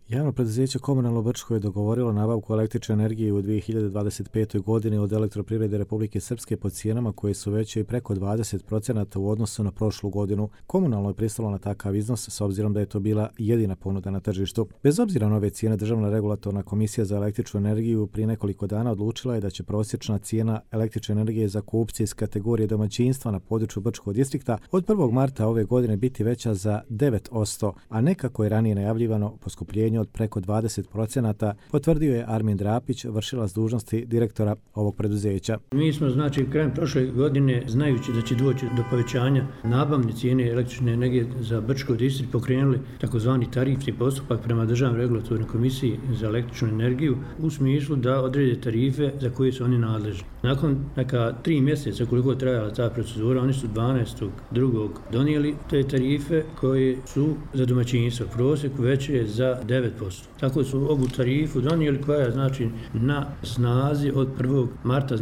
Javno preduzeće Komunalno Brčko je dogovorilo nabavku električne energije u 2025. godini od Elektroprivrede Republike Srpske po cijenama koje su veće i preko 20% u odnosu na prošlu godinu. Komunalno je pristalo na takav iznos s obzirom da je to bila jedina ponuda na tržištu. Bez obzira na ove cijene, Državna regulatorna komisija za električnu energiju prije nekoliko dana odlučila je da će prosječna cijena električne energije za kupce iz kategorije domaćinstva na području Brčkog distrikta od 1. marta ove godine biti veća za 9%, a ne kako je ranije najavljivano poskupljenje od preko 20%, potvrdio je Armin Drapić, vršilac dužnosti direktora ovog preduzeća. Mi smo krajem prošle godine, znajući da će doći do povećanja nabavne cijene električne energije za Brčko distrikt, pokrenuli takozvani tarifni postupak prema Državnoj regulatornoj komisiji za električnu energiju u smislu da odrede tarife za koje su oni nadležni. Nakon neka 3 mjeseca koliko je trajala ta procedura, oni su 12.2. donijeli te tarife koje su za domaćinstvo prosjeku veće za 9%. Tako su ovu tarifu donijeli koja je na snazi od 1. marta,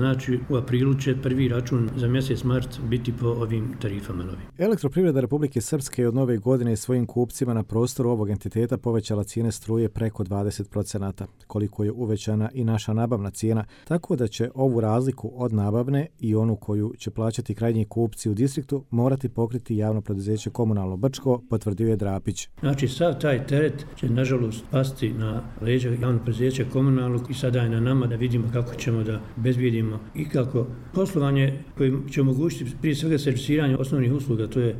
u aprilu će prvi račun za mjesec mart biti po ovim tarifama novim. Elektroprivreda Republike Srpske je od nove godine svojim kupcima na prostoru ovog entiteta povećala cijene struje preko 20%, koliko je uvećana i naša nabavna cijena, tako da će ovu razliku od nabavne i onu koju će plaćati krajnji kupci u distriktu morati pokriti javno preduzeće Komunalno Brčko, potvrdio je Drapić. Sav taj teret će nažalost pasti na leđa javnog preduzeća Komunalnog i sada je na nama da vidimo kako ćemo da obezbijedimo i kako poslovanje koje će omogućiti prije svega servisiranje osnovnih usluga, to je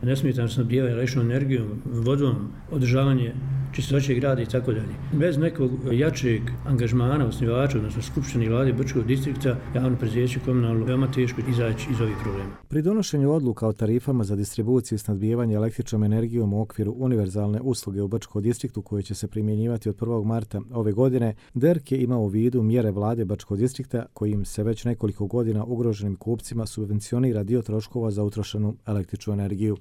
nesmetano snabdijevanje električnom energijom, vodom, održavanje čistoće grada i tako dalje. Bez nekog jačeg angažmana osnivača, odnosno Skupštine i Vlade Brčkog distrikta, javno preduzeće Komunalno veoma teško izaći iz ovih problema. Pri donošenju odluka o tarifama za distribuciju i snabdijevanje električnom energijom u okviru univerzalne usluge u Brčkom distriktu koje će se primjenjivati od 1. marta ove godine, DERK je imao u vidu mjere Vlade Brčkog distrikta kojim se već nekoliko godina ugroženim kupcima subvencionira dio troškova za utrošenu električnu energiju.